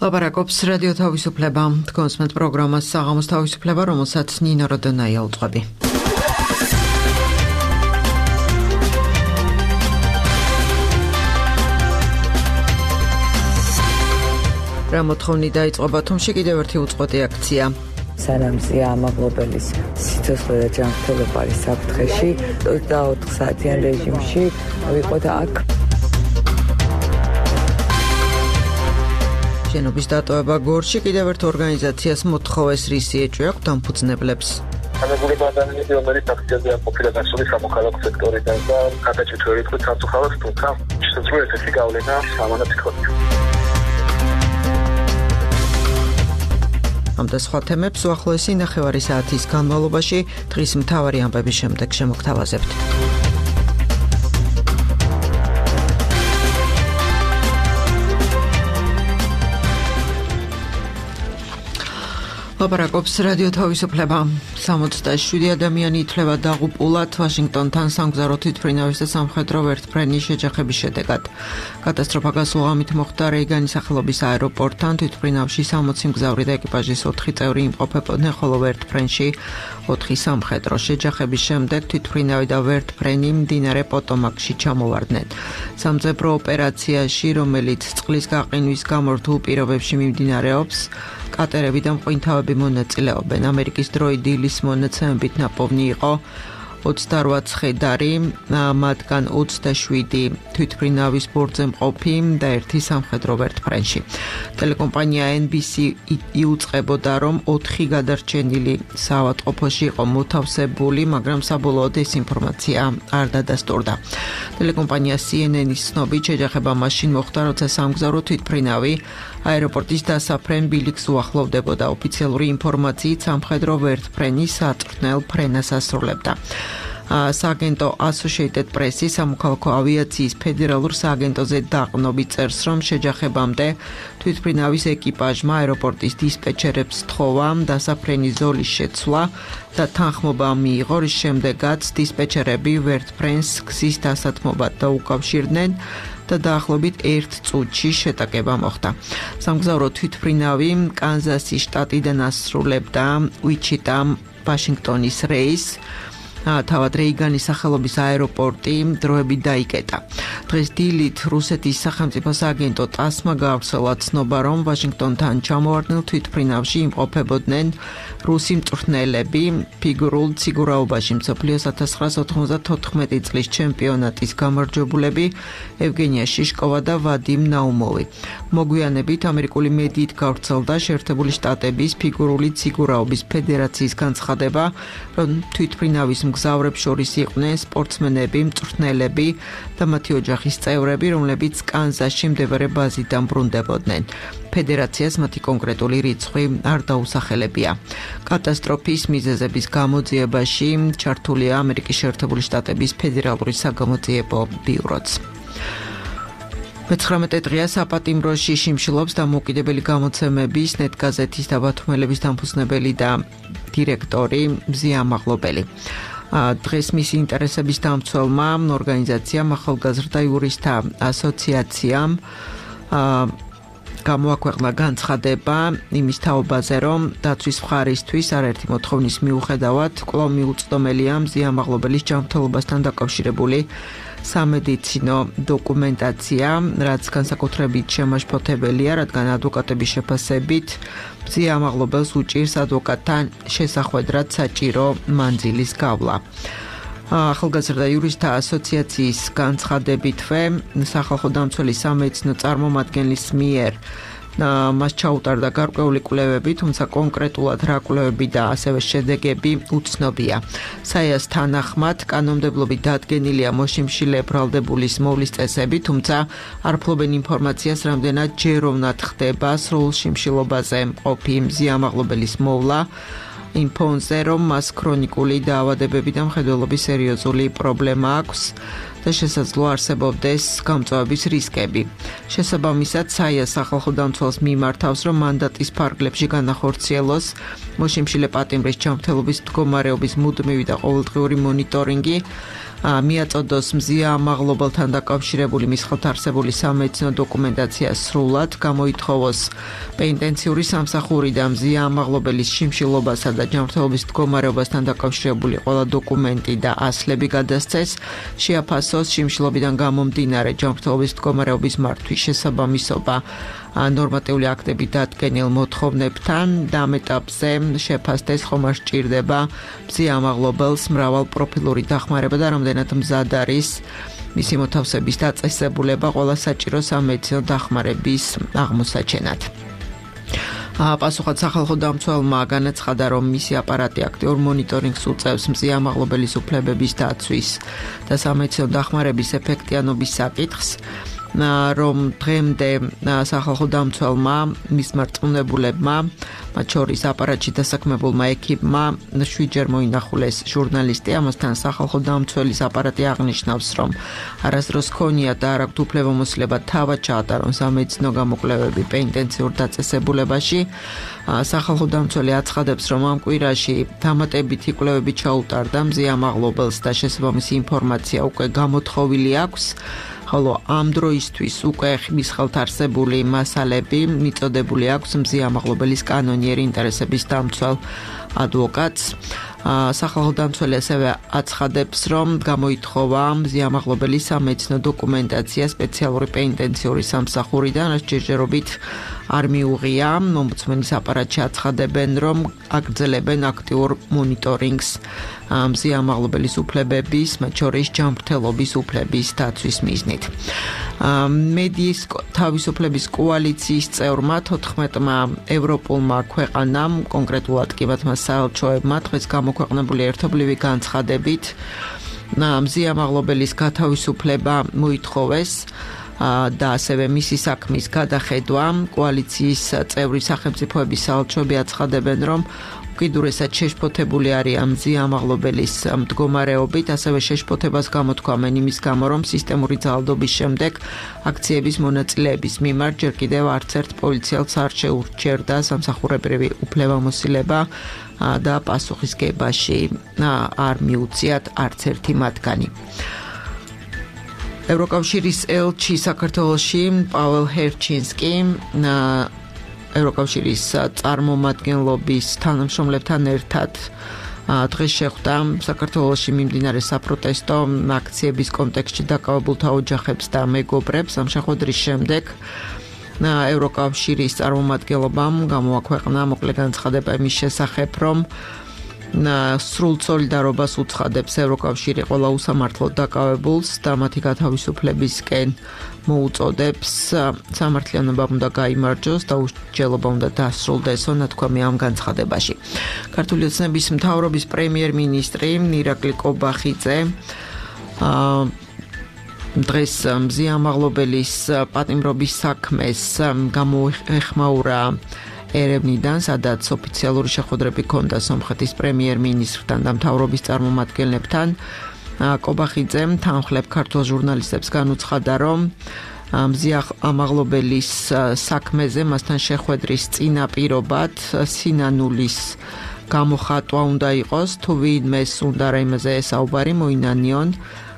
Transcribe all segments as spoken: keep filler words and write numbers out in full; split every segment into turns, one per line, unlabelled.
ლაპარაკობს რადიო თავისუფლება. თქვენს მეტ პროგრამას საღამოს თავისუფლება, რომელსაც ნინო როდონაია უძღვები. რა მოთხოვნი დაიწყო ბათუმში კიდევ ერთი უწყვეტი აქცია.
სანამ ზია ამაღლობელის სიცოცხლე და ჯანმრთელობა არის საფრთხეში, ოცდაოთხ საათიან რეჟიმში ვიყოთ აქ.
შენობის დატოვება გორში კიდევ ერთ ორგანიზაციას მოთხოვეს რისი ეჭვი აქვს დამფუძნებლებს.
განადგურება ადამიანები, რომელიც აქციაზე ყოფილა გასული სამოქალაქო სექტორიდან და გადაჭრით ვერ იტყვით სამწუხაროდ, თუმცა შესაძლოა ესეთი გავლენა ამანაც იქონია.
ამ და სხვა თემებს უახლოესი ნახევარი საათის განმავლობაში დღის მთავარი ამბების შემდეგ შემოგთავაზებთ. ლაპარაკობს რადიო თავისუფლება. სამოცდაშვიდი ადამიანი ითვლება დაღუპულად ვაშინგტონთან სამგზავრო თვითმფრინავის და სამხედრო ვერტმფრენის შეჯახების შედეგად. კატასტროფა გასულ ღამით მოხდა რეიგანის სახელობის აეროპორტთან. თვითმფრინავში სამოცი მგზავრი და ეკიპაჟის ოთხი წევრი იმყოფებოდნენ, ხოლო ვერტმფრენში ოთხი სამხედრო. შეჯახების შემდეგ თვითმფრინავი და ვერტმფრენი მდინარე პოტომაკში ჩამოვარდნენ. სამძებრო ოპერაციაში, რომელიც წყლის გაყინვის გამო რთულ პირობებში მიმდინარეობს, კატერები და მყინთავები მონაწილეობენ. ამერიკის დროით დილის მონაცემებით ნაპოვნი იყო ოცდარვა ცხედარი, მათგან ოცდაშვიდი თვითმფრინავის ბორტზე მყოფი და ერთი სამხედრო ვერტმფრენში. ტელეკომპანია ენ ბი სი იუწყებოდა, რომ ოთხი გადარჩენილი საავადმყოფოში იყო მოთავსებული, მაგრამ საბოლოოდ ეს ინფორმაცია არ დადასტურდა. ტელეკომპანია სი ენ ენის ცნობით, შეჯახება მაშინ მოხდა, როცა სამგზავრო თვითმფრინავი აეროპორტის დასაფრენ ბილიკს უახლოვდებოდა. ოფიციალური ინფორმაციით სამხედრო ვერტმფრენი საწვრთნელ ფრენას ასრულებდა. სააგენტო Associated Press-ის სამოქალაქო ავიაციის ფედერალურ სააგენტოზე დაყრდნობით წერს, რომ შეჯახებამდე თვითმფრინავის ეკიპაჟმა აეროპორტის დისპეჩერებს სთხოვა დასაფრენის ზოლის შეცვლა და თანხმობა მიიღო, რის შემდეგაც დისპეჩერები ვერტმფრენს გზის დასათმობად დაუკავშირდნენ და დაახლოებით ერთ წუთში შეტაკება მოხდა. სამგზავრო თვითმფრინავი კანზასის შტატიდან ასრულებდა უიჩიტა ვაშინგტონის რეისს. თავად რეიგანის სახელობის აეროპორტი დროებით დაიკეტა. დღეს დილით რუსეთის სახელმწიფო სააგენტო ტასმა გაავრცელა ცნობა, რომ ვაშინგტონთან ჩამოვარდნილ თვითმფრინავში იმყოფებოდნენ რუსი მწვრთნელები. ფიგურულ ციგურაობაში მსოფლიოს ათას ცხრაას ოთხმოცდათოთხმეტი წლის ჩემპიონატის გამარჯვებულები ევგენია შიშკოვა და ვადიმ ნაუმოვი. მოგვიანებით ამერიკული მედიით გავრცელდა შეერთებული შტატების ფიგურული ციგურაობის ფედერაციის განცხადება, რომ თვითმფრინავის მგზავრებს შორის იყვნენ სპორტსმენები, მწვრთნელები და მათი ოჯახის წევრები, რომლებიც კანზასში მდებარე ბაზიდან ბრუნდებოდნენ. ფედერაციას მათი კონკრეტული რიცხვი არ დაუსახელებია. კატასტროფის მიზეზების გამოძიებაში ჩართულია ამერიკის შეერთებული შტატების ფედერალური საგამოძიებო ბიუროც. მეცხრამეტე დღეა საპატიმროში შიმშილობს დამოუკიდებელი გამოცემების ნეტგაზეთის და ბათუმელების დამფუძნებელი და დირექტორი მზია ამაღლობელი. დღეს მისი ინტერესების დამცველმა ორგანიზაციამ ახალგაზრდა იურისტთა ასოციაციამ გამოაქვეყნა განცხადება იმის თაობაზე, რომ დაცვის მხარისთვის არაერთი მოთხოვნის მიუხედავად კვლავ მიუწვდომელია მზია ამაღლობელის ჯანმრთელობასთან დაკავშირებული სამედიცინო დოკუმენტაცია, რაც განსაკუთრებით შემაშფოთებელია, რადგან ადვოკატების შეფასებით მზია ამაღლობელს უჭირს ადვოკატთან შესახვედრად საჭირო მანძილის გავლა. ახალგაზრდა იურისტთა ასოციაციის განცხადებითვე სახალხო დამცველი სამედიცინო წარმომადგენლის მიერ მას ჩაუტარდა გარკვეული კვლევები, თუმცა კონკრეტულად რა კვლევები და ასევე შედეგები უცნობია. საიას თანახმად კანონმდებლობით დადგენილია მოშიმშილე ბრალდებულის მოვლის წესები, თუმცა არ ფლობენ ინფორმაციას, რამდენად ჯეროვნად ხდება სრულ შიმშილობაზე მყოფი მზია ამაღლობელის მოვლა. იმ ფონზე, რომ მას ქრონიკული დაავადებები და მხედველობის სერიოზული პრობლემა აქვს და შესაძლოა არსებობდეს გამწვავების რისკები. შესაბამისად, საიას სახალხო დამცველს მიმართავს, რომ მანდატის ფარგლებში განახორციელოს მოშიმშილე პატიმრის ჯანმრთელობის მდგომარეობის მუდმივი და ყოველდღიური მონიტორინგი, მიაწოდოს მზია ამაღლობელთან დაკავშირებული მის ხელთ არსებული სამედიცინო დოკუმენტაცია სრულად, გამოითხოვოს პენიტენციური სამსახური და მზია ამაღლობელის შიმშილობასა და ჯანმრთელობის მდგომარეობასთან დაკავშირებული ყველა დოკუმენტი და ასლები გადასცეს, შეაფასოს შიმშილობიდან გამომდინარე ჯანმრთელობის მდგომარეობის მართვის შესაბამისობა ნორმატიული აქტები დადგენილ მოთხოვნებთან და ამ ეტაპზე შეფასდეს ხომ არ სჭირდება მზია ამაღლობელს მრავალ პროფილური დახმარება და რამდენად მზად არის მისი მოთავსების დაწესებულება ყველა საჭირო სამედიცინო დახმარების აღმოსაჩენად. პასუხად სახალხო დამცველმა განაცხადა, რომ მისი აპარატი აქტიურ მონიტორინგს უწევს მზია ამაღლობელის უფლებების დაცვის და სამედიცინო დახმარების ეფექტიანობის საკითხს, რომ დღემდე სახალხო დამცველმა მის მარწმუნებულებმა, მათ შორის აპარატში დასაქმებულმა ეკიპმა შვიდჯერ მოინახულეს ჟურნალისტი, ამასთან სახალხო დამცველის აპარატი აღნიშნავს, რომ არასდროს ჰქონიათ და არ აქვთ უფლებამოსილება თავად ჩაატარონ სამედიცინო გამოკვლევები პენიტენციურ დაწესებულებაში. სახალხო დამცველი აცხადებს, რომ ამ კვირაში დამატებითი კვლევები ჩაუტარდა მზია ამაღლობელს და შესაბამისი ინფორმაცია უკვე გამოთხოვილი აქვს. ხოლო ამ დროისთვის უკვე მის ხელთ არსებული მასალები მიწოდებული აქვს მზია ამაღლობელის კანონიერი ინტერესების დამცველ ადვოკატს. სახალხო დამცველი ასევე აცხადებს, რომ გამოითხოვა მზია ამაღლობელის სამედიცინო დოკუმენტაცია სპეციალური პენიტენციური სამსახურიდან, რაც ჯერჯერობით არ მიუღია. ომბუდსმენის აპარატში აცხადებენ, რომ აგრძელებენ აქტიურ მონიტორინგს მზია ამაღლობელის უფლებების, მათ შორის ჯანმრთელობის უფლების დაცვის მიზნით. მედიის თავისუფლების კოალიციის წევრმა თოთხმეტმა ევროპულმა ქვეყანამ, კონკრეტულად კი მათმა საელჩოებმა დღეს გამოქვეყნებული ერთობლივი განცხადებით მზია ამაღლობელის გათავისუფლება მოითხოვეს და ასევე მისი საქმის გადახედვა. კოალიციის წევრი სახელმწიფოების საელჩოები აცხადებენ, რომ უკიდურესად შეშფოთებული არიან მზია ამაღლობელის მდგომარეობით, ასევე შეშფოთებას გამოთქვამენ იმის გამო, რომ სისტემური ძალადობის შემდეგ აქციების მონაწილეების მიმართ ჯერ კიდევ არც ერთ პოლიციელს არ შეურჩერდა სამსახურებრივი უფლებამოსილება და პასუხისგებაში არ მიუციათ არც ერთი მათგანი. ევროკავშირის ელჩი საქართველოში პაველ ჰერჩინსკი ევროკავშირის წარმომადგენლობის თანამშრომლებთან ერთად დღეს შეხვდა საქართველოში მიმდინარე საპროტესტო აქციების კონტექსტში დაკავებულთა ოჯახებს და მეგობრებს. ამ შეხვედრის შემდეგ ევროკავშირის წარმომადგენლობამ გამოაქვეყნა მოკლე განცხადება იმის შესახებ, რომ სრულ სოლიდარობას უცხადებს ევროკავშირი ყველა უსამართლოდ დაკავებულს და მათი გათავისუფლებისკენ მოუწოდებს. სამართლიანობა უნდა გაიმარჯვოს და უსჯელობა უნდა დასრულდესო, ნათქვამი ამ განცხადებაში. ქართული ოცნების მთავრობის პრემიერ-მინისტრი ირაკლი კობახიძე დღეს მზია ამაღლობელის პატიმრობის საქმეს გამოეხმაურა ერევნიდან, სადაც ოფიციალური შეხვედრები ჰქონდა სომხეთის პრემიერ-მინისტრთან და მთავრობის წარმომადგენლებთან. კობახიძემ თანხლებ ქართულ ჟურნალისტებს განუცხადა, რომ მზია ამაღლობელის საქმეზე მასთან შეხვედრის წინაპირობად სინანულის გამოხატვა უნდა იყოს, თუ ვინმეს უნდა რაიმეზე ესაუბარი მოინანიონ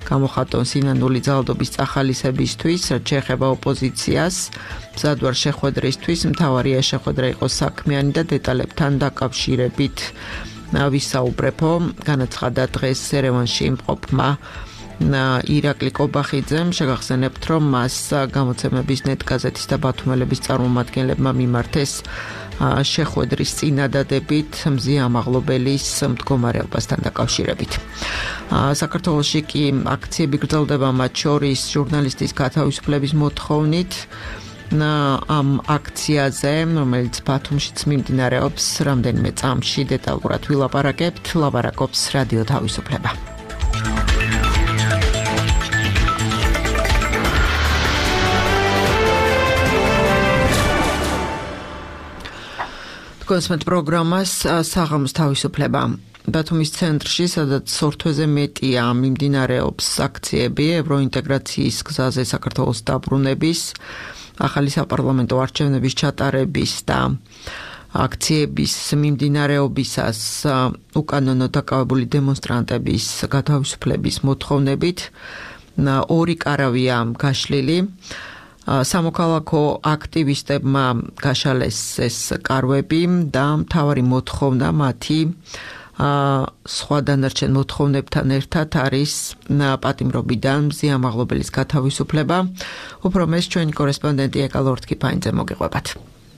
გამოხატონ სინანული ძალადობის წახალისებისთვის, რაც შეეხება ოპოზიციას. მზად ვარ შეხვედრისთვის, მთავარია შეხვედრა იყოს საქმიანი და დეტალებთან დაკავშირებით ვისაუბრებო, განაცხადა დღეს ერევანში იმყოფმა ირაკლი კობახიძემ. შეგახსენებთ, რომ მას გამოცემების ნეტ გაზეთის და ბათუმელების წარმომადგენლებმა მიმართეს შეხვედრის წინადადებით მზია ამაღლობელის მდგომარეობასთან დაკავშირებით. საქართველოში კი აქციები გრძელდება, მათ შორის ჟურნალისტის გათავისუფლების მოთხოვნით. ამ აქციაზე, რომელიც ბათუმშიც მიმდინარეობს, რამდენიმე წამში დეტალურად ვილაპარაკებთ, ლაპარაკობს რადიო თავისუფლება. კონსმეთ პროგრამას საღამოს თავისუფლება. ბათუმის ცენტრში, სადაც სორთვეზე მეტია მიმდინარეობს აქციები ევროინტეგრაციის გზაზე საქართველოს დაბრუნების, ახალი საპარლამენტო არჩევნების ჩატარების და აქციების მიმდინარეობისას უკანონო დაკავებული დემონსტრანტების გათავისუფლების მოთხოვნებით ორი კარავია გაშლილი. სამოქალაქო აქტივისტებმა გაშალეს ეს კარვები და მთავარი მოთხოვნა მათი სხვა დანარჩენ მოთხოვნებთან ერთად არის პატიმრობიდან მზიამაღლობელის გათავისუფლება. უფრო მეც ჩვენი კორესპონდენტი ეკა ლორთქიფაინძე მოგიყვებათ.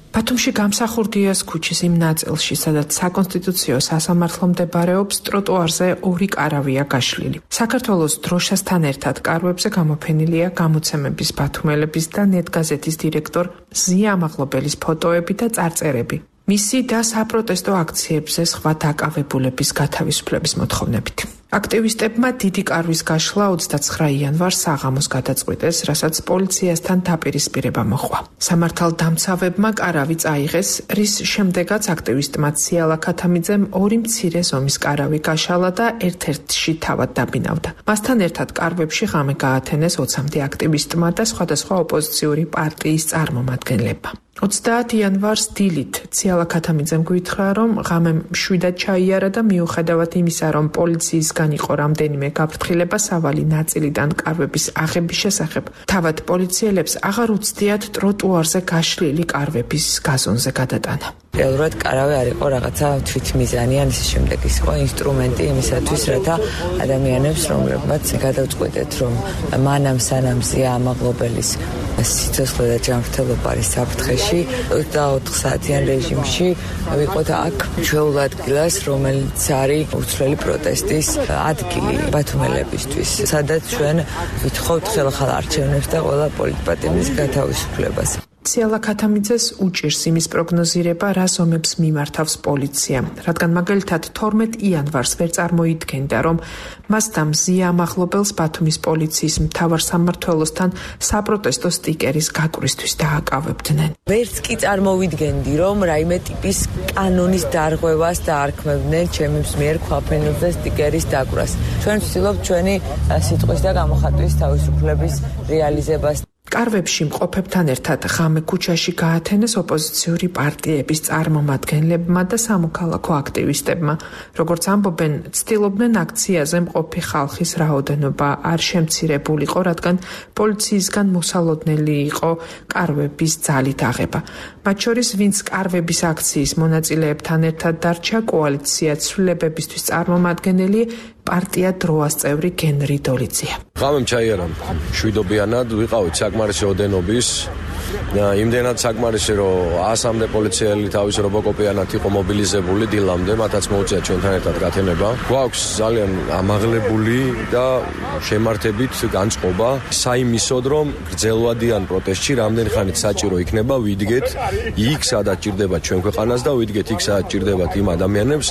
ბათუმში გამსახურდიას ქუჩის იმ ნაწილში, სადაც საკონსტიტუციო სასამართლო მდებარეობს, ტროტუარზე ორი კარავია გაშლილი. საქართველოს დროშასთან ერთად კარვებზე გამოფენილია გამოცემების ბათუმელების და ნეტგაზეთის დირექტორ მზიამაღლობელის ფოტოები და წარწერები. მისი და საპროტესტო აქციებზე სხვა დაკავებულების გათავისუფლების მოთხოვნებით. აქტივისტებმა დიდი კარვის გაშლა ოცდაცხრა იანვარს საღამოს გადაწყვიტეს, რასაც პოლიციასთან დაპირისპირება მოჰყვა. სამართალდამცავებმა კარავი წაიღეს, რის შემდეგაც აქტივისტმა ციალა ქათამიძემ ორი მცირე ზომის კარავი გაშალა და ერთ-ერთში თავად დაბინავდა. მასთან ერთად კარვებში ღამე გაათენეს ოცამდე აქტივისტმა და სხვადასხვა ოპოზიციური პარტიის წარმომადგენლებმა. ოცდაათ იანვარს დილით ციალა ქათამიძემ გვითხრა, რომ ღამე მშვიდად ჩაიარა და მიუხედავად იმისა, რომ პოლიციისგან იყო რამდენიმე გაფრთხილება სავალი ნაწილიდან კარვების აღების შესახებ, თავად პოლიციელებს აღარ უცდიათ ტროტუარზე გაშლილი კარვების გაზონზე გადატანა.
რეალურად კარავი არ იყო რაღაცა თვითმიზანი ან ისე შემდეგ, ის იყო ინსტრუმენტი იმისათვის, რათა ადამიანებს, რომლებმაც გადავწყვიტეთ, რომ მანამ სანამ მზიამაღლობელის სიცოცხლე და ჯანმრთელობა არის საფრთხეში, ოცდაოთხ საათიან რეჟიმში ვიყოთ აქ ჩვეულ ადგილას, რომელიც არის უცვლელი პროტესტის ადგილი ბათუმელებისთვის, სადაც ჩვენ ვითხოვთ ხელახალ არჩევნებს და ყველა პოლიტპატიმრის გათავისუფლებას.
ციალა ქათამიძეს უჭირს იმის პროგნოზირება, რა ზომებს მიმართავს პოლიცია, რადგან მაგალითად თორმეტ იანვარს ვერ წარმოიდგენდა, რომ მას და მზიამაღლობელს ბათუმის პოლიციის მთავარ სამმართველოსთან საპროტესტო სტიკერის გაკვისთვის დააკავებდნენ.
ვერც კი წარმოვიდგენდი, რომ რაიმე ტიპის კანონის დარღვევას დაარქმევდნენ ჩემი მიერ ქვაფენებზე სტიკერის დაკვას. ჩვენ ვცდილობთ ჩვენი სიტყვის და გამოხატვის თავისუფლების რეალიზებას.
კარვებში მყოფებთან ერთად ღამე ქუჩაში გაათენეს ოპოზიციური პარტიების წარმომადგენლებმა და სამოქალაქო აქტივისტებმა. როგორც ამბობენ, ცდილობდნენ აქციაზე მყოფი ხალხის რაოდენობა არ შემცირებულიყო, რადგან პოლიციისგან მოსალოდნელი იყო კარვების ძალით აღება. მათ შორის, ვინც კარვების აქციის მონაწილეებთან ერთად დარჩა, კოალიცია ცვლილებებისთვის წარმომადგენელი პარტია დროას წევრი გენრი დოლიძია.
ღამემ ჩაიარა მშვიდობიანად, ვიყავით საკმარისი ოდენობის. იმდენად საკმარისი, რომ ასამდე პოლიციელი თავის რობოკოპიანად იყო მობილიზებული დილამდე, მათაც მოუწია ჩვენთან ერთად გათენება. გვაქვს ძალიან ამაღლებული და შემართებით განწყობა საიმისოდ, რომ გრძელვადიან პროტესტში რამდენი ხანით საჭირო იქნება ვიდგეთ იქ, სადაც ჭირდება ჩვენ ქვეყანას და ვიდგეთ იქ, სადაც ჭირდებათ იმ ადამიანებს,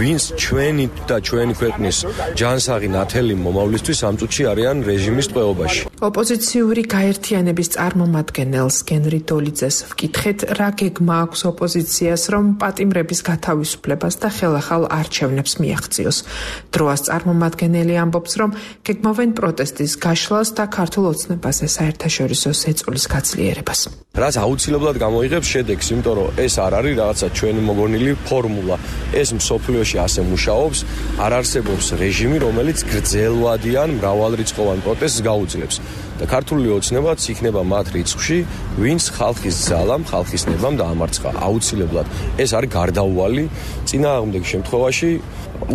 ვინც ჩვენი და ჩვენი ქვეყნის ჯანსაღი ნათელი მომავლისთვის ამ წუთში არიან რეჟიმის ტყვეობაში.
ოპოზიციური გაერთიანების წარმომადგენელს გენრი დოლიძეს ვკითხეთ, რა გეგმა აქვს ოპოზიციას, რომ პატიმრების გათავისუფლებას და ხელახალ არჩევნებს მიაღწიოს. დროას წარმომადგენელი ამბობს, რომ გეგმავენ პროტესტის გაშლას და ქართულ ოცნებაზე საერთაშორისო ზეწოლის გაძლიერებას.
რაც აუცილებლად გამოიღებს შედეგს, იმიტომ რომ ეს არ არის რაღაცა ჩვენი მოგონილი ფორმულა. ეს მსოფლიოში ასე მუშაობს, არ არსებობს რეჟიმი, რომელიც გრძელვადიან მრავალრიცხოვან პროტესტს გაუძლებს. და ქართული ოცნებაც იქნება მათ რიცხვში, ვინც ხალხის ძალამ, ხალხის ნებამ დაამარცხა. აუცილებლად ეს არის გარდაუვალი. წინააღმდეგ შემთხვევაში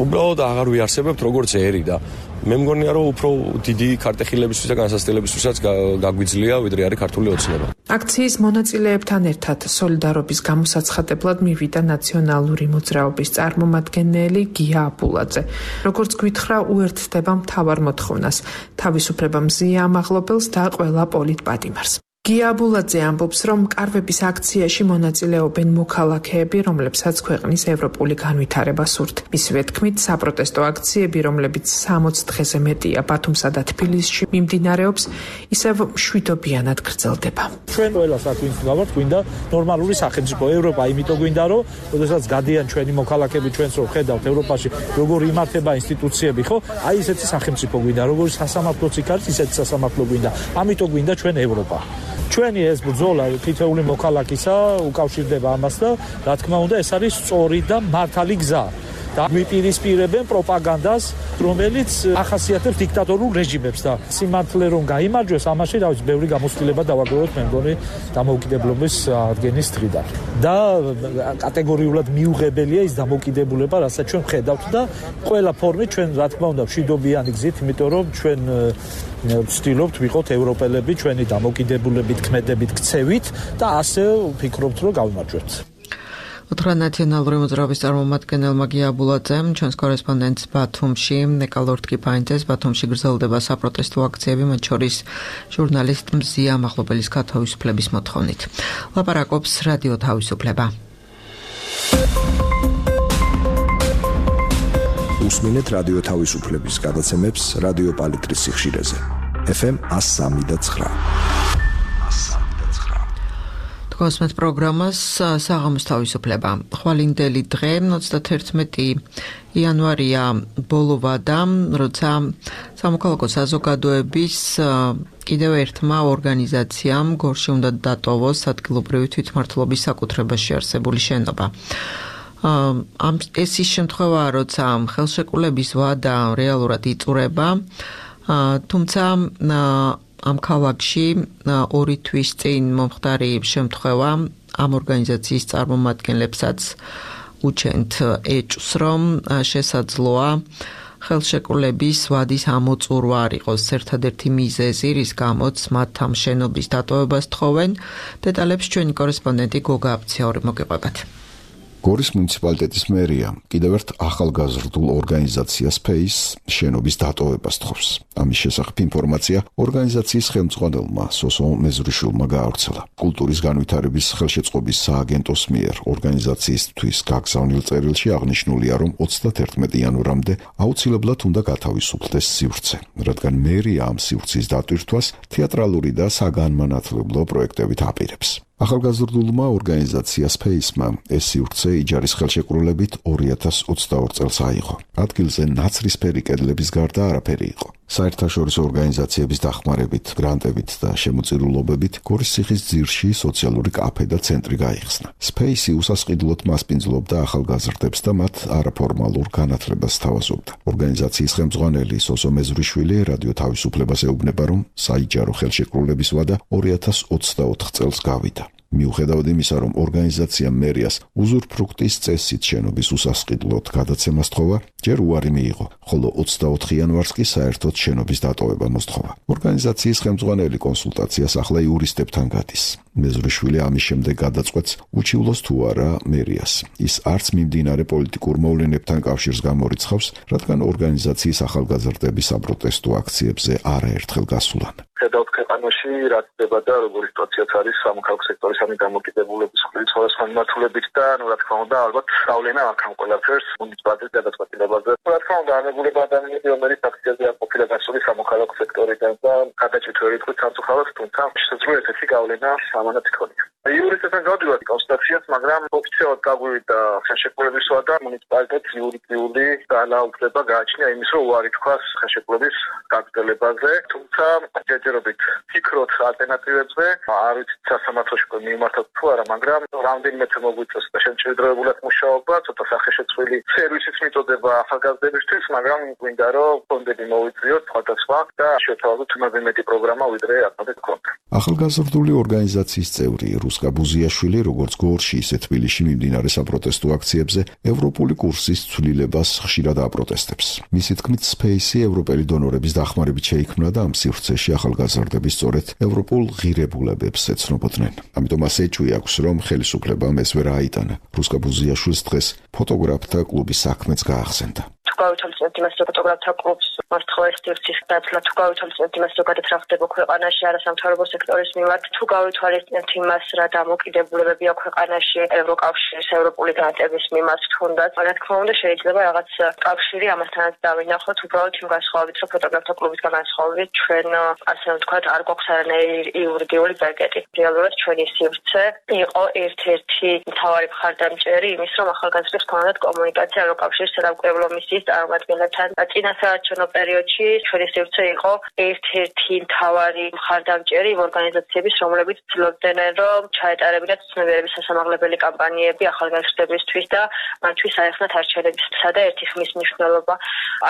უბრალოდ აღარ ვიარსებებთ როგორც ერი და მე მგონია, რომ უფრო დიდი ქარტეხილებისთვის და განსაცდელებისთვისაც გაგვიძლია, ვიდრე არის ქართული ოცნება.
აქციის მონაწილეებთან ერთად სოლიდარობის გამოსაცხადებლად მივიდა ნაციონალური მოძრაობის წარმომადგენელი გია აბულაძე. როგორც გვითხრა, უერთდება მთავარ მოთხოვნას, თავისუფლება მზიამაღლობელს და ყველა პოლიტპატიმარს. გიაბულაძე ამბობს, რომ კარვების აქციაში მონაწილეობენ მოქალაქეები, რომლებსაც ქვეყნის ევროპული განვითარება სურთ. მისივე თქმით, საპროტესტო აქციები, რომლებიც სამოც დღეზე მეტია ბათუმსა და თბილისში მიმდინარეობს, ისევ მშვიდობიანად გრძელდება.
ჩვენ ყველას აქ ვინც გავართ, გვინდა ნორმალური სახელმწიფო. ევროპა იმიტომ გვინდა, რომ როდესაც გადიან ჩვენი მოქალაქეები ჩვენს რო ხედავთ ევროპაში, როგორ იმართება ინსტიტუციები, ხო? აი ესეთი სახელმწიფო გვინდა, როგორი სასამართლოც იქ არის, ისეთი სასამართლო გვინდა. ამიტომ გვინდა ჩვენ ევროპა. ჩვენი ეს ბრძოლა თითოეული მოქალაქისა უკავშირდება ამას და რა თქმა უნდა ეს არის სწორი და მართალი გზა. და გვიპირისპირებენ პროპაგანდას, რომელიც ახასიათებს დიქტატორულ რეჟიმებს და სიმართლე რომ გაიმარჯვეს, ამაში რა ვიცი, ბევრი გამოცდილება დავაგროვოთ მე მგონი დამოუკიდებლობის აღდგენის დღიდან. და კატეგორიულად მიუღებელია ის დამოუკიდებლობა, რასაც ჩვენ ხედავთ და ყველა ფორმით ჩვენ რა თქმა უნდა მშვიდობიანი გზით, იმიტომ რომ ჩვენ ვცდილობთ ვიყოთ ევროპელები ჩვენი დამოუკიდებლობით, ქმედებით, ქცევით და ასე ვფიქრობთ რომ გავიმარჯვებთ.
უთხრა ნაციონალური მოძრაობის წარმომადგენელმა გიაბულაძემ, ჩვენს კორესპონდენტს ბათუმში, ნეკალორდ კიფაინძეს, ბათუმში გრძელდება საპროტესტო აქციები, მათ შორის ჟურნალისტ მზია მაღლობელის გათავისუფლების მოთხოვნით. ლაპარაკობს რადიო თავისუფლება.
უსმინეთ რადიო თავისუფლების გადაცემებს რადიო პალიტრის სიხშირეზე. ეფ ემ one oh three point nine.
კოსმეთ პროგრამას საღამოს თავისუფლება. ხვალინდელი დღე ოცდათერთმეტი იანვარია ბოლოვა და როცა სამოქალაქო საზოგადოების კიდევ ერთმა ორგანიზაციამ გორში უნდა დატოვოს ადგილობრივი თვითმმართველობის საკუთრებაში არსებული შენობა. ამ ეს ის შემთხვევაა, როცა ხელშეკრულების ვადა რეალურად იწურება, თუმცა ამ ქალაქში ორი თვის წინ მომხდარი შემთხვევა ამ ორგანიზაციის წარმომადგენლებსაც უჩენთ ეჭვს, რომ შესაძლოა ხელშეკრულების ვადის ამოწურვა არ იყოს ერთადერთი მიზეზი, რის გამოც მათ ამ შენობის დატოვებას თხოვენ. დეტალებს ჩვენი კორესპონდენტი გოგა აბციური მოგეყვებათ.
გორის მუნიციპალიტეტის მერია კიდევ ერთ ახალგაზრდულ ორგანიზაციას ფეის შენობის დატოვებას თხოვს. ამის შესახებ ინფორმაცია ორგანიზაციის ხელმძღვანელმა სოსო მეზრიშვილმა გაავრცელა. კულტურის განვითარების ხელშეწყობის სააგენტოს მიერ ორგანიზაციისთვის გაგზავნილ წერილში აღნიშნულია, რომ ოცდათერთმეტი იანვრამდე აუცილებლად უნდა გათავისუფლდეს სივრცე, რადგან მერია ამ სივრცის დატვირთვას თეატრალური და საგანმანათლებლო პროექტებით აპირებს. ახალგაზრდულმა ორგანიზაციას ფეისმა ეს სივრცე იჯარის ხელშეკრულებით ორი ათას ოცდაორ წელს აიღო. ადგილზე ნაცრისფერი კედლების გარდა არაფერი იყო. საერთაშორისო ორგანიზაციების დახმარებით, გრანტებით და შემოწირულობებით გორის ციხის ძირში სოციალური კაფე და ცენტრი გაიხსნა. სპეისი უსასყიდლოდ მასპინძლობდა ახალგაზრდებს და მათ არაფორმალურ განათლებას თავაზობდა. ორგანიზაციის ხელმძღვანელი სოსო მეზრიშვილი რადიო თავისუფლებას ეუბნება, რომ საიჯარო ხელშეკრულების ვადა ორი ათას ოცდაოთხ წელს გავიდა. მიუხედავად იმისა, რომ ორგანიზაციამ მერიას უზურპრუქტის წესით შენობის უსასყიდლოდ გადაცემას თხოვა, ჯერ უარი მიიღო, ხოლო ოცდაოთხ იანვარს კი საერთოდ შენობის დატოვება მოსთხოვა. ორგანიზაციის ხელმძღვანელი კონსულტაციას ახლა იურისტებთან გადის. მეზრიშვილი ამის შემდეგ გადაწყვეტს, უჩივლოს თუ არა მერიას. ის არც მიმდინარე პოლიტიკურ მოვლენებთან კავშირს გამორიცხავს, რადგან ორგანიზაციის ახალგაზრდების საპროტესტო აქციებზე არაერთხელ გასულან.
ხედავთ ქვეყანაში რა ხდება და როგორი სიტუაციაც არის სამოქალაქო სექტორის ამი დამოკიდებულების მხრივ სხვადასხვა მიმართულებით და ნუ რა თქმა უნდა ალბათ სწავლენა აქ ამ ყველაფერს მუნიციპალიტეტის გადაწყვეტილებაზე. რა თქმა უნდა ამებულება ადამიანები რომელიც აქციაზე არ ყოფილა გასული სამოქალაქო სექტორიდან და გადაჭრით თქვით სამწუხაროდ, თუმცა შესაძლოა ესეთი გავლენა ამანაც იქონია. იურისტებთან გავდივართ კონსულტაციას, მაგრამ ოფიციალურად გაგვივიდა ხელშეკრულების ვადა მუნიციპალიტეტს იურიდიული ძალაუფლება გააჩნია იმის, რომ უარი თქვას ხელშეკრულების გაგრძელებაზე, თუმცა ჯერჯერობით ფიქრობთ ალტერნატივებზე, არ ვიცით სასამართლოში მიმართოთ თუ არა, მაგრამ რამდენიმე თვე მოგვიწევს და შემჭირდებულად მუშაობა, ცოტა სახეშეცვლილი სერვისიც მიწოდება ახალგაზრდებისთვის, მაგრამ გვინდა რომ ფონდები მოვიწვიოთ სხვადასხვა და შევთავაზოთ იმაზე მეტი პროგრამა, ვიდრე აკადეთ კონტ.
ახალგაზრდული ორგანიზაციის წევრი რუსკა ბუზიაშვილი, როგორც გორში, ისე თბილისში მიმდინარე საპროტესტო აქციებზე ევროპული კურსის ცვლილებას ხშირად აპროტესტებს. მისი თქმით, სპეისი ევროპელი დონორების დახმარებით შეიქმნა და ამ სივრცეში ახალგაზრდები სწორედ ევროპულ ღირებულებებს ეცნობოდნენ. ამიტომ მას ეჭვი აქვს, რომ ხელისუფლებამ ეს ვერ აიტანა. რუსკა ბუზიაშვილს დღეს ფოტოგრაფთა კლუბის საქმეც გაახსენდა.
თუ გავითვალისწინებთ იმას, რომ ფოტოგრაფთა კლუბს მოსთხოვეს სივრცის დაცლა, თუ გავითვალისწინებთ იმას, რომ გადატრახდება ქვეყანაში არასამთავრობო სექტორის მიმართ, თუ გავითვალისწინებთ იმას, რა დამოკიდებულებებია ქვეყანაში ევროკავშირის ევროპული განათების მიმართ თუნდაც, რა თქმა უნდა შეიძლება რაღაც კავშირი ამასთანაც დავინახოთ, უბრალოდ იმ განსხვავებით, რომ ფოტოგრაფთა კლუბის განსხვავებით ჩვენ ასე ვთქვათ, არ გვაქვს არანაირი იურიდიული ბაგეტი. რეალურად ჩვენი სივრცე იყო ერთ-ერთი მთავარი მხარდამჭერი იმის, რომ ახალგაზრდებს ქონდათ კომუნიკაცია ევროკავშირის სადამკვირვებლო მისიის წარმომადგენლებთან. წინასაარჩევნო პერიოდში ჩვენი სივრცე იყო ერთ-ერთი მთავარი მხარდამჭერი იმ ორგანიზაციების, რომლებიც ცდილობდნენ, რომ ჩაეტარებინათ ცნობიერების სასამაღლებელი კამპანიები ახალგაზრდებისთვის და მათთვის აეხსნათ არჩევნებისა და ერთი ხმის მნიშვნელობა.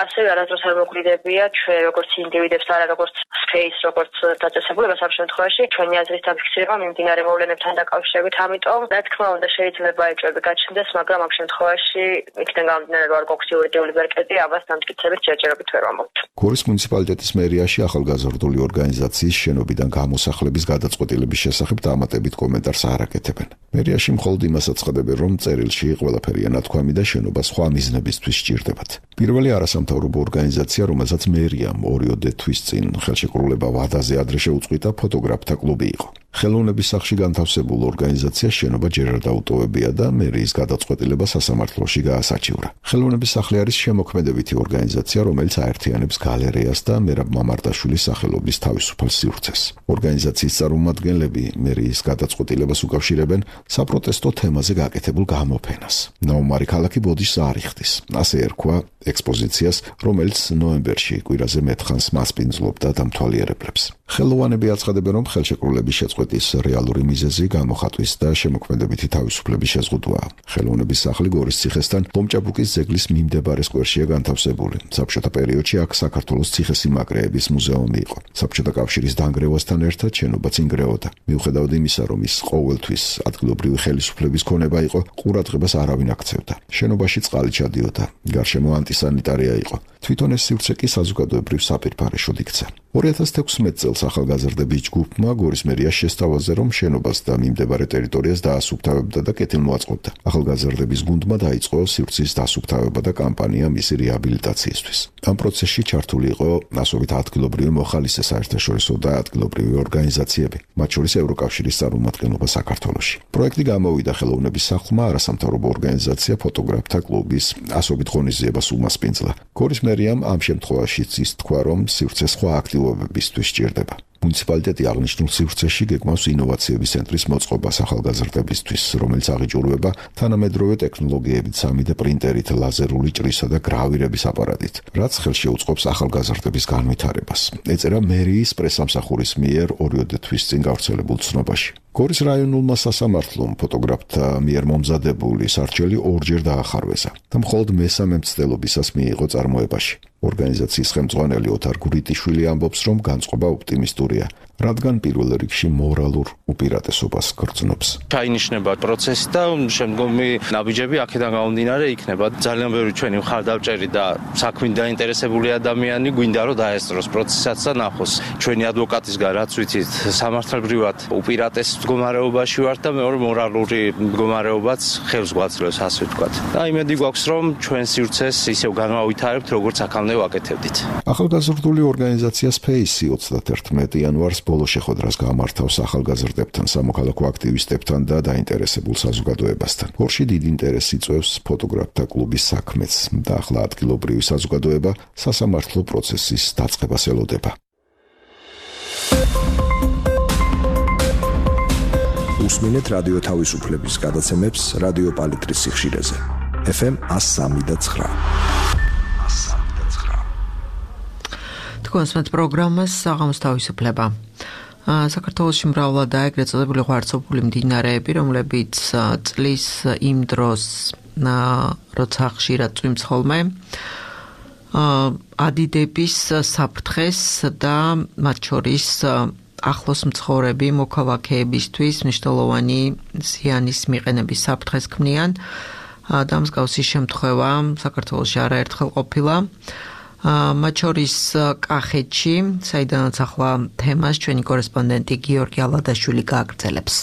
ასევე არასდროს არ მოგვიდებია ჩვენ როგორც ინდივიდებს, არა როგორც space, როგორც დაწესებულებას ამ შემთხვევაში ჩვენი აზრის დაფიქსირება მიმდინარე მოვლენებთან დაკავშირებით. ამიტომ, რა თქმა უნდა, შეიძლება ეჭვები გაჩნდეს, მაგრამ ამ შემთხვევაში იქიდან გამომდინარე, რომ არ გვაქვს იურიდიული ბერკეტი, ამას დამტკიცებით ჯერჯერობით ვერ ვამბობთ.
გორის მუნიციპალიტეტის მერიაში ახალგაზრდული ორგანიზაციის შენობიდან გამოსახლების გადაწყვეტილების შესახებ დამატებით კომენტარს არ აკეთებენ. მერიაში მხოლოდ იმას აცხადებენ, რომ წერილში ყველაფერია ნათქვამი და შენობა სხვა მიზნებისთვის სჭირდებათ. პირველი არასამთავრობო ორგანიზაცია, რომელსაც მერიამ ორიოდე თვის წინ ხელშეკრულება ვადაზე ადრე შეუწყვიტა, ფოტოგრაფთა კლუბი იყო. ხელოვნების სახლში განთავსებულ ორგანიზაციას შენობა ჯერ არ დაუტოვებია და მერიის გადაწყვეტილება სასამართლოში გაასაჩივრა. ხელოვნების სახლი არის შემოქმედებითი ორგანიზაცია, რომელიც აერთიანებს გალერეას და მერაბ მამარდაშვილის სახელობის თავისუფალ სივრცეს. ორგანიზაციის წარმომადგენლები მერიის გადაწყვეტილებას უკავშირებენ საპროტესტო თემაზე გაკეთებულ გამოფენას. ნაუმარი ქალაქი ბოდიშს არ იხდის. ასე ერქვა ექსპოზიციას, რომელიც ნოემბერში კვირაზე მეთხანს მასპინძლობდა და მთვალიერებლებს. ხელოვანები აცხადებენ, რომ ხელშეკრულების შეწყვეტის რეალური მიზეზი გამოხატვის და შემოქმედებითი თავისუფლების შეზღუდვაა. ხელოვნების სახლი გორის ციხესთან ლომჭაბუკის ძეგლის მიმდებარე სკვერშია განთავსებული. საბჭოთა პერიოდში აქ საქართველოს ციხესიმაგრეების მუზეუმი იყო. საბჭოთა კავშირის დანგრევასთან ერთად შენობაც ინგრეოდა. მიუხედავად იმისა, რომ ის ყოველთვის ადგილობრივი ხელისუფლების ქონება იყო, ყურადღებას არავინ აქცევდა. შენობაში წყალი ჩადიოდა. გარშემო ანტისანიტარია იყო. თვითონ ეს სივრცე კი საზოგადოებრივ საპირფარეშოდ იქცა. ორი ათას თექვსმეტ წელს ახალგაზრდების ჯგუფმა გორის მერიას შესთავაზე, რომ შენობას და მიმდებარე ტერიტორიას დაასუფთავებდა და კეთილმოაწყობდა. ახალგაზრდების გუნდმა დაიწყო სივრცის დასუფთავება და კამპანია მისი რეაბილიტაციისთვის. ამ პროცესში ჩართული იყო ასობით ადგილობრივი მოხალისე საერთაშორისო და ადგილობრივი ორგანიზაციები, მათ შორის ევროკავშირის წარმომადგენლობა საქართველოში. პროექტი გამოვიდა ხელოვნების სახლმა, არასამთავრობო ორგანიზაცია ფოტოგრაფთა კლუბის ასობით ღონისძიებას უმასპინძლა. გორის მერიამ ამ შემთხვევაშიც ის თქვა, რომ სივრცე სხვა აქტივობებისთვის სჭირდება. მუნიციპალიტეტი აღნიშნულ სივრცეში გეგმავს ინოვაციების ცენტრის მოწყობას ახალგაზრდებისთვის, რომელიც აღიჭურვება თანამედროვე ტექნოლოგიებით, სამი დე პრინტერით, ლაზერული ჭრისა და გრავირების აპარატით, რაც ხელშეუწყობს ახალგაზრდების განვითარებას. ეწერა მერიის პრესამსახურის მიერ ორიოდე თვის წინ გავრცელებულ ცნობაში. გორის რაიონულმა სასამართლომ ფოტოგრაფთა მიერ მომზადებული სარჩელი ორჯერ დაახარვეზა და მხოლოდ მესამე მცდელობისას მიიღო წარმოებაში. ორგანიზაციის ხელმძღვანელი ოთარ გურიტიშვილი ამბობს, რომ განწყობა ოპტიმისტურია, რადგან პირველ რიგში მორალურ უპირატესობას გრძნობს.
ჩაინიშნება პროცესი და შემდგომი ნაბიჯები აქედან გამომდინარე იქნება. ძალიან ბევრი ჩვენი მხარდამჭერი და საქმით დაინტერესებული ადამიანი გვინდა რომ დაესწროს პროცესსაც და ნახოს. ჩვენი ადვოკატისგან რაც ვიცით, სამართლებრივად უპირატეს მდგომარეობაში ვართ და მეორე მორალური მდგომარეობაც ხელს გვაძლევს, ასე ვთქვათ. და იმედი გვაქვს, რომ ჩვენ სივრცეს ისევ განვავითარებთ, როგორც აქამდე ვაკეთებდით.
ახალგაზრდული ორგანიზაცია Space ოცდაათი იანვარს ბოლო შეხვედრას გამართავს ახალგაზრდებთან, სამოქალაქო აქტივისტებთან და დაინტერესებულ საზოგადოებასთან. გორში დიდ ინტერესს იწვევს ფოტოგრაფთა კლუბის საქმეც და ახლა ადგილობრივი საზოგადოება სასამართლო პროცესის დაწყებას ელოდება.
უსმინეთ რადიო თავისუფლების გადაცემებს რადიო პალიტრის სიხშირეზე. ეფ ემ ას სამი და ცხრა.
თქვენს პროგრამას საღამოს თავისუფლება. საქართველოში მრავლადაა ეგრეთ წოდებული ღვარცობული მდინარეები, რომლებიც წლის იმ დროს, როცა ხშირად წვიმს ხოლმე, ადიდების საფრთხეს და მათ შორის ახლოს მცხოვრები მოქალაქეებისთვის მნიშვნელოვანი ზიანის მიყენების საფრთხეს ქმნიან და მსგავსი შემთხვევა საქართველოში არაერთხელ ყოფილა. მათ შორის კახეთში, საიდანაც ახლა თემას ჩვენი კორესპონდენტი გიორგი ალადაშვილი გააგრძელებს.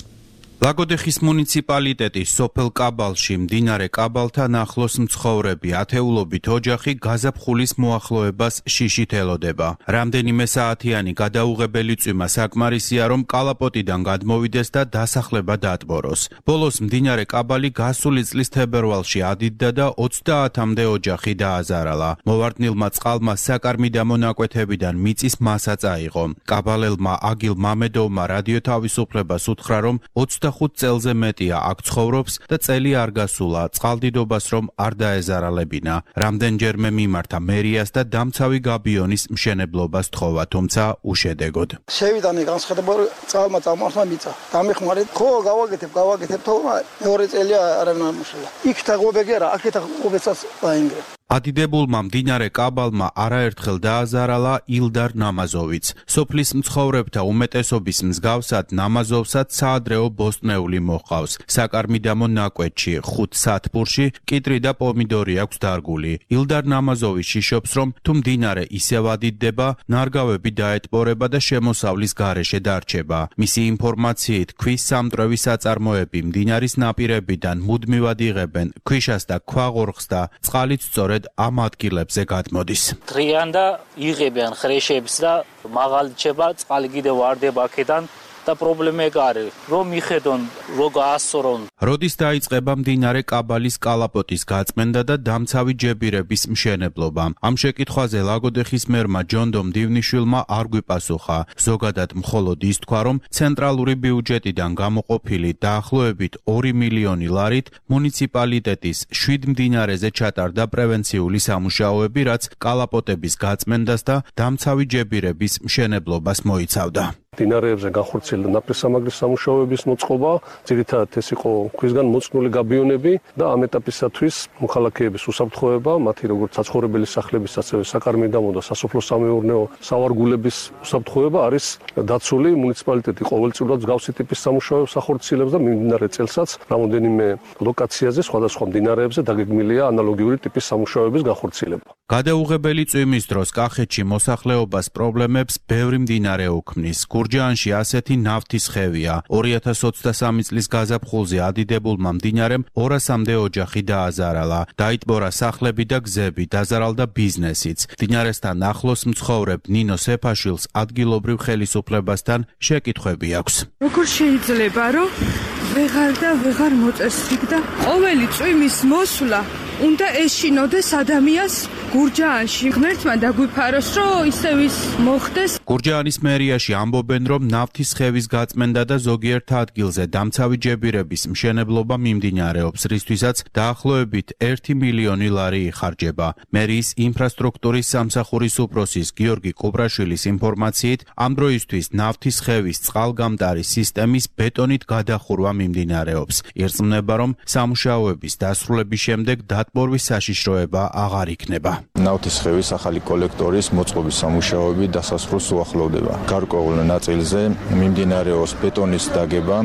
ლაგოდეხის მუნიციპალიტეტის სოფელ კაბალში მდინარე კაბალთან ახლოს მცხოვრები ათეულობით ოჯახი გაზაფხულის მოახლოებას შიშით ელოდება. რამდენიმე საათიანი გადაუღებელი წვიმა საკმარისია, რომ კალაპოტიდან გადმოვიდეს და დასახლება დაატბოროს. ბოლოს მდინარე კაბალი გასული წლის თებერვალში ადიდდა და ოცდაათამდე ოჯახი დააზარალა. მოვარდნილმა წყალმა საკარმიდამო ნაკვეთებიდან მიწის მასა წაიღო. კაბალელმა აგილ მამედოვმა რადიო თავისუფლებას უთხრა, რომ ოცდახუთ წელზე მეტია აქ ცხოვრობს და წელი არ გასულა წყალდიდობას რომ არ დაეზარალებინა. რამდენჯერმე მიმართა მერიას და დამცავი გაბიონის მშენებლობას თხოვა, თუმცა უშედეგოდ.
შევიდანი განსხვავებული წყალმა წამოხსნა მიწა. დამეხმარეთ, ხო გავაკეთებ, გავაკეთებ, თორემ მეორე წელია არავინ არ მუშაობდა. იქ თაღობები არა, აქეთ თაღობებსაც დაინგრე.
ადიდებულმა მდინარე კაბალმა არაერთხელ დააზარალა ილდარ ნამაზოვიც. სოფლის მცხოვრებთა უმეტესობის მსგავსად ნამაზოვსაც საადრეო ბოსტნეული მოჰყავს. საკარმიდამო ნაკვეთში, ხუთ სათბურში კიტრი და პომიდორი აქვს დარგული. ილდარ ნამაზოვი შიშობს, რომ თუ მდინარე ისევ ადიდდება, ნარგავები დაეტბორება და შემოსავლის გარეშე დარჩება. მისი ინფორმაციით, ქვის სამტრევი საწარმოები მდინარის ნაპირებიდან მუდმივად იღებენ ქვიშას და ქვაღორხს და წყალიც სწორედ ამ ადგილებზე გადმოდის.
დღიან და იღებიან ხრეშებს და მაღალი ჩება, წყალი კიდევ ვარდება აქედან და პრობლემა ეგ არის, რომ მიხედონ, რო გაასწორონ.
როდის დაიწყება მდინარე კაბალის კალაპოტის გაწმენდა და დამცავი ჯებირების მშენებლობა? ამ შეკითხვაზე ლაგოდეხის მერმა ჯონდო მდივნიშვილმა არ გვიპასუხა. ზოგადად მხოლოდ ის თქვა, რომ ცენტრალური ბიუჯეტიდან გამოყოფილი დაახლოებით ორი მილიონი ლარით მუნიციპალიტეტის შვიდ მდინარეზე ჩატარდა პრევენციული სამუშაოები, რაც კალაპოტების გაწმენდას და დამცავი ჯებირების მშენებლობას მოიცავდა.
მდინარეებზე განხორციელდა ნაპირსამაგრის სამუშაოების მოწყობა, ძირითადად ეს იყო ქვისგან მოწნული გაბიონები და ამ ეტაპისათვის მოქალაქეების უსაფრთხოება, მათი როგორც საცხოვრებელი სახლების, ასევე საკარმიდამო და სასოფლო-სამეურნეო სავარგულების უსაფრთხოება არის დაცული. მუნიციპალიტეტი ყოველწლიურად მსგავსი ტიპის სამუშაოებს ახორციელებს და მიმდინარე წელსაც რამოდენიმე ლოკაციაზე სხვადასხვა მდინარეებზე დაგეგმილია ანალოგიური ტიპის სამუშაოების განხორციელება.
გადაუღებელი წვიმის დროს კახეთში მოსახლეობას პრობლემებს ბევრი მდინარე უქმნის. გურჯაანში ასეთი ნავთის ხევია. ორი ათას ოცდასამი წლის გაზაფხულზე ადიდებულმა მდინარემ ორასამდე ოჯახი დააზარალა. დაიტბორა სახლები და გზები, დაზარალდა ბიზნესიც. მდინარესთან ახლოს მცხოვრებ ნინო სეფაშვილს ადგილობრივ ხელისუფლებასთან შეკითხვები აქვს.
როგორ შეიძლება, რომ ვეღარ და ვეღარ მოწესრიგ და ყოველი წვიმის მოსვლა უნდა ეშინოდეს ადამიანს გურჯაანში. ღმერთმა დაგვიფაროს, რომ ისევ ის მოხდეს.
გურჯაანის მერიაში ამბობენ, რომ ნავთის ხევის გაწმენდა და ზოგიერთ ადგილზე დამცავი ჯებირების მშენებლობა მიმდინარეობს, რისთვისაც დაახლოებით ერთი მილიონი ლარი იხარჯება. მერიის ინფრასტრუქტურის სამსახურის უფროსის გიორგი კუბრაშვილის ინფორმაციით, ამ დროისთვის ნავთის ხევის წყალგამტარი სისტემის ბეტონით გადახურვა მიმდინარეობს. ირწმუნება, რომ სამუშაოების დასრულების შემდეგ დატბორვის საშიშროება აღარ იქნება.
ნავთის ხევის ახალი კოლექტორის მოწყობის სამუშაოები დასასრულს უახლოვდება. გარკვეულ ნაწილზე მიმდინარეობს ბეტონის დაგება,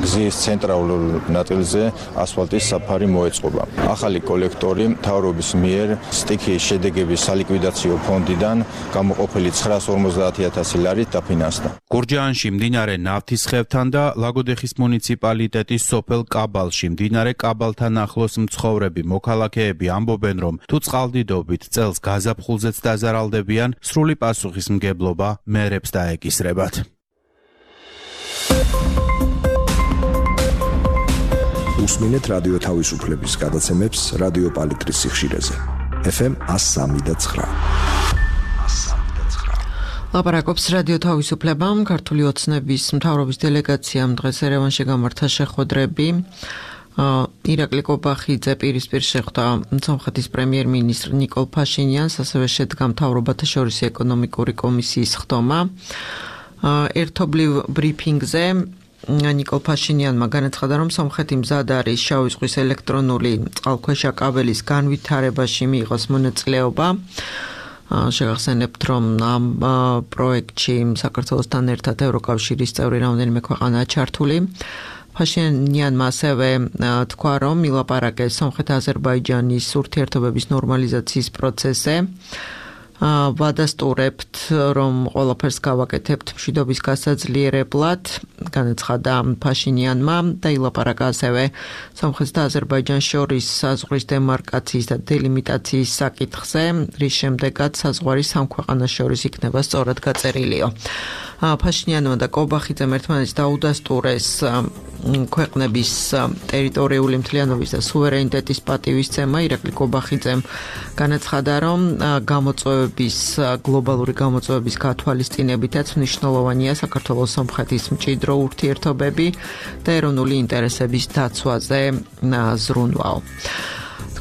გზის ცენტრალურ ნაწილზე ასფალტის საფარი მოეწყობა. ახალი კოლექტორი მთავრობის მიერ სტიქიის შედეგების სალიკვიდაციო ფონდიდან გამოყოფილი ცხრაას ორმოცდაათი ათასი ლარით დაფინანსდა.
გურჯაანში მდინარე ნავთის ხევთან და ლაგოდეხის მუნიციპალიტეტის სოფელ კაბალში მდინარე კაბალთან ახლოს მცხოვრები მოქალაქეები ამბობენ, რომ თუ წყალდიდობით წელს გაზაფხულზეც დაზარალდებიან, სრული პასუხისმგებლობა მერებს დაეკისრებათ.
უსმინეთ რადიო თავისუფლების გადაცემებს რადიო პალიტრის სიხშირეზე. ეფ ემ εκατო სამი და ცხრა.
ლაპარაკობს რადიო თავისუფლებამ. ქართული ოცნების მთავრობის დელეგაციამ დღეს ერევანში გამართა შეხვედრები. ირაკლი კობახიძე პირისპირ შეხვდა სომხეთის პრემიერ-მინისტრ ნიკოლ ფაშინიანს, ასევე შედგა მთავრობათა შორისი ეკონომიკური კომისიის ხდომა. ერთობლივ ბრიფინგზე ნიკოლ ფაშინიანმა განაცხადა, რომ სომხეთი მზად არის შავი ზღვის ელექტრონული წყალქვეშა კაბელის განვითარებაში მიიღოს მონაწილეობა. შეგახსენებთ, რომ ამ პროექტში საქართველოსთან ერთად ევროკავშირის წევრი რამდენიმე ქვეყანაა ჩართული. ფაშინიანმა ასევე თქვა, რომ ილაპარაკეს სომხეთ-აზერბაიჯანის ურთიერთობების ნორმალიზაციის პროცესზე. ვადასტურებთ, რომ ყველაფერს გავაკეთებთ მშვიდობის გასაძლიერებლად, განაცხადა ფაშინიანმა და ილაპარაკა ასევე სომხეთს და აზერბაიჯანს შორის საზღვრის დემარკაციის და დელიმიტაციის საკითხზე, რის შემდეგაც საზღვარი სამ ქვეყანას შორის იქნება სწორად გაწერილიო. ფაშინიანმა და კობახიძემ ერთმანეთს დაუდასტურეს ქვეყნების ტერიტორიული მთლიანობის და სუვერენიტეტის პატივისცემა. ირაკლი კობახიძემ განაცხადა, რომ გამოწვევების გლობალური გამოწვევების გათვალისწინებითაც მნიშვნელოვანია საქართველოს სომხეთის მჭიდრო ურთიერთობები და ეროვნული ინტერესების დაცვაზე ზრუნვაო.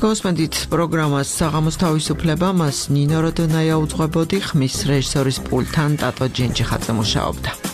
გოსმენდით პროგრამას საღამოს თავისუფლება, მას ნინო როდონაია უძღვებოდი, ხმის რეჟისორის პულტთან ტატო ჯენჯიხაძე მუშაობდა.